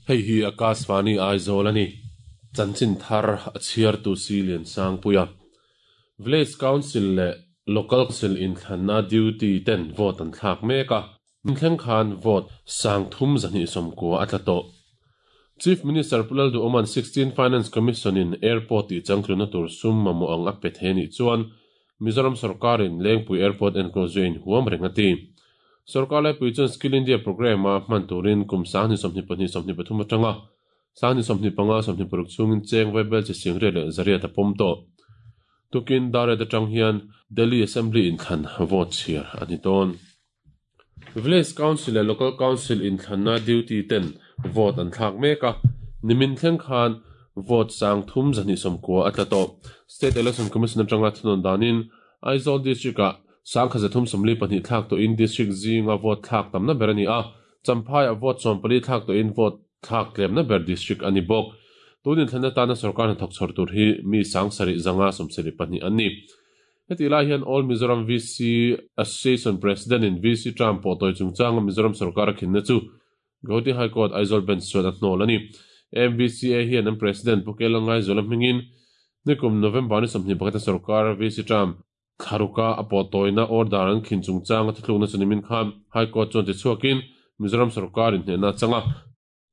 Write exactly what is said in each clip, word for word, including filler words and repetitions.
Hei hi Akashvani Aizawl ani chanchin thar a chhiar tu si lian sang puia Village Council le Local Council in thlanna duty ten vote an thlak mek a thleng khan vote sang thum zani somkua a tla tawh. Chief Minister Pulal Du Oman sixteen Finance Commission in airport ti changtluna tur sum mamo ang a pe theni chuan Mizoram sarkarin Lengpui Airport enclosure in huam rengati. Sarkar lai pui chuan Skill India program a hman turin kum sang ni sawmhni pahnih sawmhni pathum atanga sang ni sawmhni panga sawmhni paruk chungin cheng vaibel chi singre leh zariat a pawm tawh. Tukin dare atang hian Delhi Assembly in thlan vote chhiar ani dawn. Village Council leh Local Council in thlanna duty ten vote an thlak mek a nimin thleng khan vote sang thum zani somkua a tla tawh. State Election Commission atanga thunawn danin Aizawl District ah sang kha zathum sawmli pahnih thlak tawh in district zinga vote thlak tamna ber ani a Champhai a vote sawm pali thlak tawh in vote thlak tlemna ber district ani bawk. Tunin thlanna tana sarkar hnathawk chhawr tur hi mi sang sarih zanga sawmsarih pahnih an ni. Heti lai hian All Mizoram V C Association President in V C Trump pawh tawi chungchanga Mizoram sarkar a khinna chu Guwahati High Court Aizawl Bench chuan a hnawl ani. M V C A hian an President Pukela Ngaizawl a hmingin nikum November ni sawmhnih pakhat a sarkar V C Trump thlaruka a pawh tawina order an khin chungchanga thuthlukna chu nimin khan High Court chuan ti chhuakin Mizoram sarkar in hnehna changa.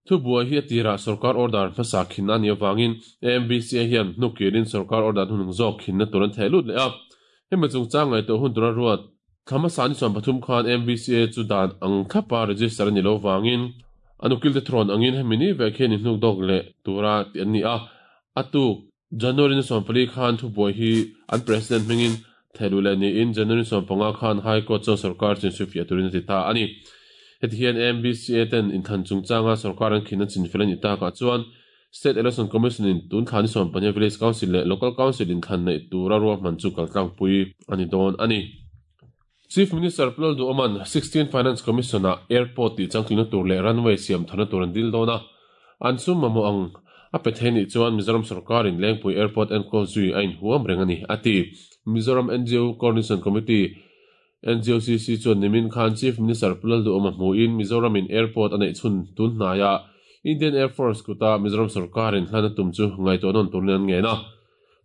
Thu buai hi a tirah sarkar order hmasa khinna ani awangin M V C A hian hnukirin sarkar order hunung zawk khinna tur an theh lut leh a. Hemi chungchang ngaihtuah hun tura ruat thlama sani chuan pathum khan M V C A chu dan ang thlapa register ani lo wangin anukil te thrawn angin hemi ni vek hian in hnuk dawk leh tura ti an ni a. Atuk January ni sawm pali khan thu buai hi an president hmingin thehlu leh niin January sawm panga khan High Court chuan sarkar chin suifiah turin a ti ta ani. Heti hian M V C A ten inthlan chungchanga sarkar an khinna chinfel ani takah chuan State Election Commission in tun thlan ni sawm pahnih Village Council leh Local Council in thlan neih tura ruahman chu kaltlangpui ani dawn ani. Chief Minister Pulal Du Oman sixteen Finance Commission a airport ti changtlina tur leh runway siam thana tur an dil dawn a. An sum mamo ang a pe thei chuan Mizoram sarkarin Lengpui Airport enclosure zui a inhuam reng ani ati. Mizoram N G O Coordination Committee N G O C C chuan nimin khan Chief Minister Pulal Du Oma hmuin Mizoram in airport a neih chhun tun hnaia Indian Air Force kuta Mizoram sarkarin hlana tum chu ngaihtuah nawn turin an ngen a.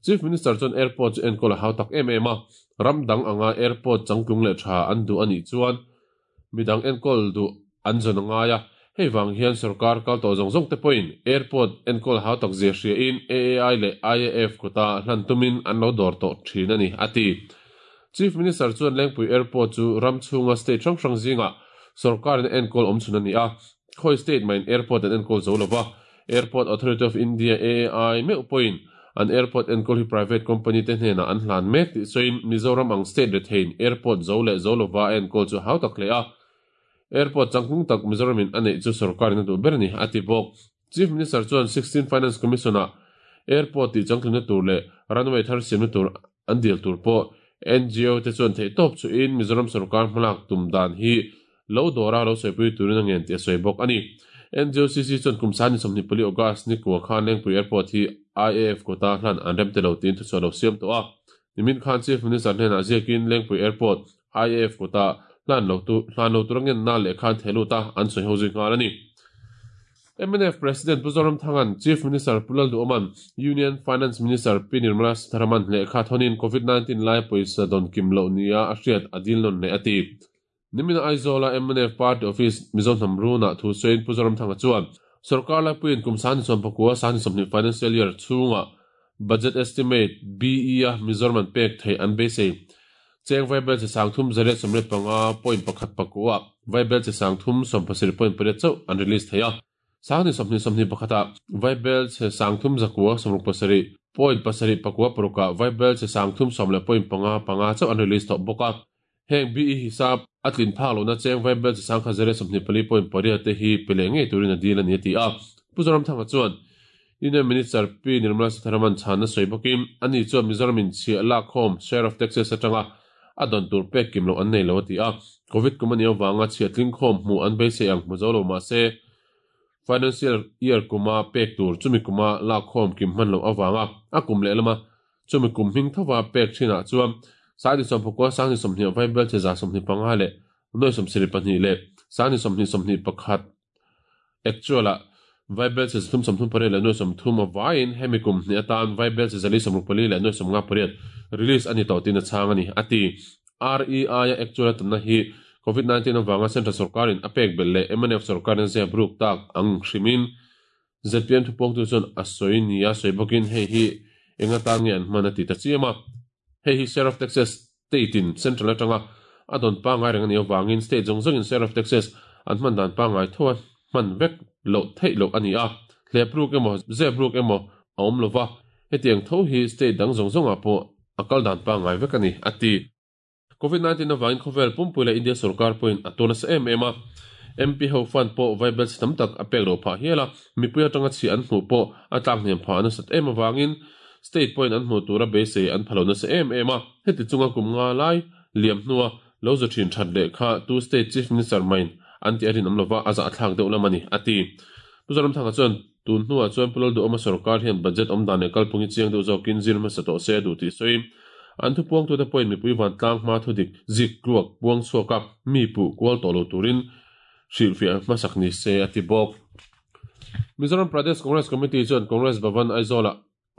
Chief Minister chuan airport chu enkawl a hau tak em em a. Ram dang anga airport changtlung leh tha an duh ani chuan midang enkawl duh an zawn angai a. Hei wang hian sarkar kal tawh zawng zawng te pawhin airport enkawl hau tak zia hria in A A I leh I A F kuta hlan tumin an lo dawr tawh thin ani ati. Chief Minister chuan Lengpui Airport chu ram chhunga state hrang hrang zinga sarkarin enkawl awm chhun ani a. Khoi state main airport an enkawl zo lova. Airport Authority of India A A I meuh pawhin an airport enkawl hi private company te hnenah an hlan mek tih sawiin Mizoram ang state rethein airport zo leh zo lova enkawl chu hau tak hle a. Airport changtlung tak Mizoram in a neih chu sarkarin a duh ber ani ati bawk. Chief Minister chuan sixteen Finance Commission a airport ti changtlungna tur leh runway thar siamna tur an dil tur pawh N G O te chuan theih tawp chu in Mizoram sarkar hmalak tum dan hi lo dawra lo sawi turin a ngen ti a sawi bawk ani. N G O C C chuan kum sani sawmhnih pali August ni kua khan Lengpui Airport hi I A F kota hlan an rem te lo tin thuchhuah lo siam tawh a. Nimin khan Chief Minister hnenah ziakin Lengpui Airport I A F kota hlan lo tu hlan lo tur angen na leh khan thehlut a an sawi ho zui nghal ani. M N F President Puzoram Thangan Chief Minister Pulal Du Oman Union Finance Minister P Nirmala Sitharaman leh kha thonin COVID nineteen lai pawisa dawn kim lo nia a hriat a dil nawn leh ati. Nimina Aizawl M N F Party Office Mizo Hnamruna thu sawiin Puzoram Thanga chuan sarkar lai puiin kum sani sawm pakua sani sawmhnih financial year chhunga budget estimate B E a Mizoram an pek thei an beisei. Cheng vaibel che sang thum zariat sawmriat panga point pakhat pakua vaibel che sang thum sawm pasarih point pariat chauh an release thei a. Sangni sawmhnih sawmhnih pakhata vaibel che sang thum zakua sawmruk pasarih point pasarih pakua paruka vaibel che sang thum sawm leh point panga panga chauh an release tawh bawk a. Heng B E hisap atlin phak lo na cheng vaibel che sang kha zariat sawmhnih pali point pariat te hi pele ngei turin a dil ani ati a. Puzoram Thanga chuan Union Minister P Nirmala Sitharaman chhan a sawi bawkin ani chuan Mizoram in chhiah lak khawm share of taxes atanga a dawn tur pek kim lo an nei lo ati a. COVID kum ani awanga chhiah tling khawm hmu an beisei ang hmu zo lo mah se financial year kuma pek tur chumi kuma lak khawm kim hman lo awanga a kum leh lama Chumi kum hming thowa pek thinah chuan sangni sawmpakua sangni sawmhnih vaibel che za sawmhnih panga leh nuai sawmsarih pahnih leh sangni sawmhnih sawmhnih pakhat actual ah vaibel che zathum sawmthum pariat leh nuai sawmthum a vaiin hemi kum hnih atan vaibel che zali sawmruk pali leh nuai sawmnga pariat release ani tawh tin a chhang ani ati. R E I a actual atamna hi covid nineteen awanga central sarkarin a pek bel leh M N F sarkarin zia bruk tak ang hrimin Z P M thupawng tu chuan a sawi ni a sawi bawkin hei hi enga tan nge an hman a ti ta chiam a. Hei hi share of taxes state in central atanga a don pa ngai reng ani awangin state zawng zawngin share of taxes an hman dan pa ngai tho a hman vek loh theih loh ani a. Hlepruk emaw zepruk emaw a awm lova hetiang tho hi state dang zawng zawngah pawh a kal dan pa ngai vek ani ati. covid nineteen awangin khawvel pumpui leh India sarkar pawhin a tawn nasa em em a. M P ho fund pawh vaibel chi tam tak a pek lo phah hial a, mipui atanga chi an hmuh pawh a tlak hniam phah nasat em awangin state pawhin an hmuh tura beisei an phalo nasa em em a. Heti chunga kum nga lai liam hnua lo zu thin that leh kha tu state chief minister main an ti a rin awm lova a zah thlak deuh lam ani ati. Pu Zoramthanga chuan tun hnuah chuan Pulal Duhawma sarkar hian budget awm dan leh kalphung hi chiang deuh zawkin zir hmasa tawh se a duh tih sawi. An thupuang tute pawhin mipui van tlang hma thu dik zik ruak puang chhuak a mi puh kual tawh lo turin hrilhfiah hmasak ni se ati bawk. Mizoram Pradesh Congress Committee chuan Congress Bhavan Aizawl ah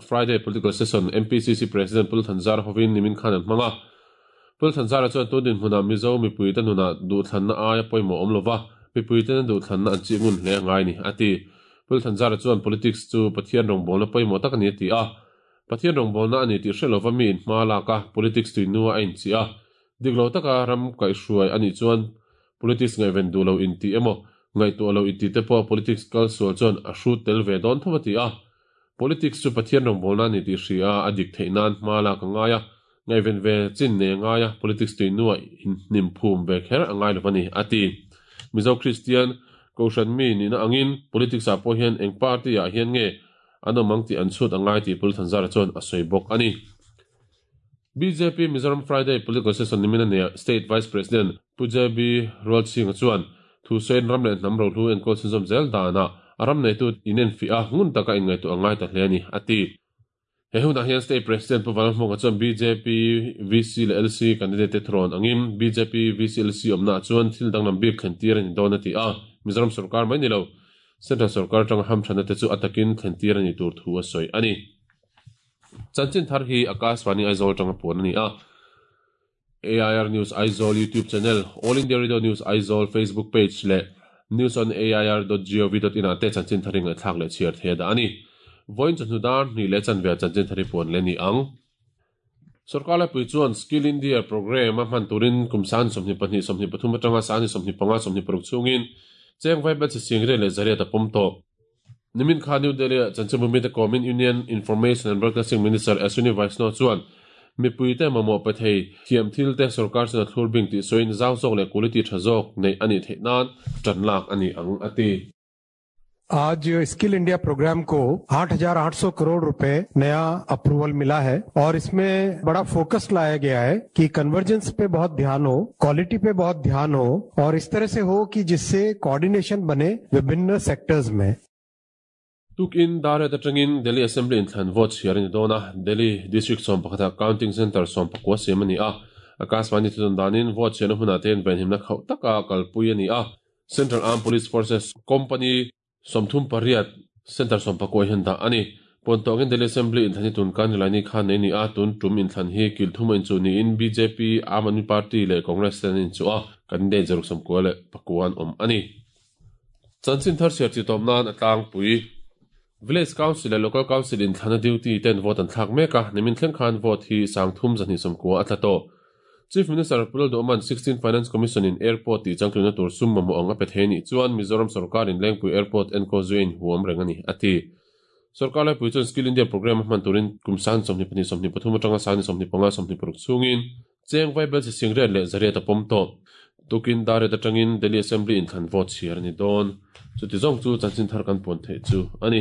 Friday political session M P C C President Pul Thanzara hovin nimin khan an hmang a. Pul Thanzara chuan tun din hmunah Mizo mipui te nunah duhthlanna aia pawimawh awm lova mipui te na duhthlanna an chih ngun hle angai ni ati. Pul Thanzara chuan politics chu Pathian rawngbawlna pawimawh tak ani ati a. Pathian rawngbawlna ani tih hre lova mi in hma lak a politics tuinua a inchi a. Dik lo taka ram kaihhruai ani chuan politics ngaihven duh lo inti emaw ngaihtuah lo inti te pawh politics kal sual chuan a hrut tel ve dawn tho ati a. Politics chu Pathian rawngbawlna ani tih hria a dik theih nan hma lak a ngai a, ngaihven ve chin nei a ngai a, politics tuinua inhnim phum ve kher a ngai lo ani ati. Mizo Christian Kohhran mi nihna angin politics ah pawh hian eng party ah hian nge an awm ang tih an chhut a ngai tih Pul Thanzara chuan a sawi bawk ani. B J P Mizoram Friday political session nimin a neih State Vice President Pu J B Rualchinga chuan thu sawiin ram leh hnam rohlu enkawl chhunzawm zel danah a ram neitu inenfiah a ngun taka inngaihtuah a ngai ta hle ani ati. He hunah hian State President Pu Vanlalhmuaka chuan B J P V C leh L C candidate te thurawn angin B J P V C L C awmna chuan thil danglam bik thlen tir ani dawn ati a. Mizoram sarkar mai ni lo Central sarkar tanga hamthana te chu atakin thlen tir ani tur thu a sawi ani. Chanchin thar hi Akashvani Aizawl tanga puan ani a. A I R News Aizawl YouTube channel, All India Radio News Aizawl Facebook page leh news on A I R dot gov dot in ah te chanchin thar ring thlak leh chhiar the da ani. Voin chawhnu dar hnih leh chanve chanchin thar hi puan le ni ang. Sarkar lai pui chuan Skill India program a hman turin kum san sawmhnih pahnih sawmhnih pathum atanga sangni sawmhnih panga sawmhnih paruk chungin cheng vaibel chi sing re leh zariat a pawm tawh. Nimin kha New Delhi ah chanchin bumi te kawmin Union Information and Broadcasting Minister Ashwini Vaishnaw chuan mipui te mamawh pe thei thiam thil te sarkar chuan a thlur bing tih sawiin zau zawk leh quality tha zawk nei ani theih nan tan lak ani ang ati. आज skill India programme को आठ हजार आठ सौ करोड़ रुपए नया अप्रूवल मिला है और इसमें बड़ा फोकस लाया गया है कि कन्वर्जेंस पे बहुत ध्यान हो, क्वालिटी पे बहुत ध्यान हो और इस तरह से हो कि जिससे कोऑर्डिनेशन बने विभिन्न सेक्टर्स में। Tukin dare atangin Delhi Assembly inthlan vote chhiar ani dawn a. Delhi District sawm pakhata counting center sawm pakua siam ani a. Akashvani thudun danin vote chhiarna hmunah te hian venhimna khauh taka kalpui ani a. Central Armed Police Forces Company sawmthum pariat center sawm pakua hian dah ani. Puantawngin Delhi Assembly inthlan hi tun kan rilai ni khan nei ni a. Tun tum inthlan hi kilthuma inchu niin B J P, Aam Aadmi Party leh Congress ten inchu a. Candidate zaruk sawmkua leh pakua an awm ani. Chanchin thar chhiar chi tawm nan a tlangpui Village Council leh Local Council inthlana duty ten vote an thlak mek a. Nimin thleng khan vote hi sangthum zahnih sawmkua a tla tawh. Chief Minister Pulal Duhawma'n sixteen Finance Commission in airport tih changtluna tur sum mamawh ang a pe thei ni chuan Mizoram sarkar in Lengpui Airport enkawl zuiin huam reng ani ati. Sarkar lai pui chuan Skill India program a hman turin kum san sawmhnih pahnih sawmhnih pathum atanga sangni sawmhnih panga sawmhnih paruk chungin cheng vaibel chi sing riat leh zariat a pawm tawh. Tukin dare atangin Delhi Assembly inthlan vote chhiar ani dawn. Chuti zawng chu chanchin thar kan puan theih chu ani.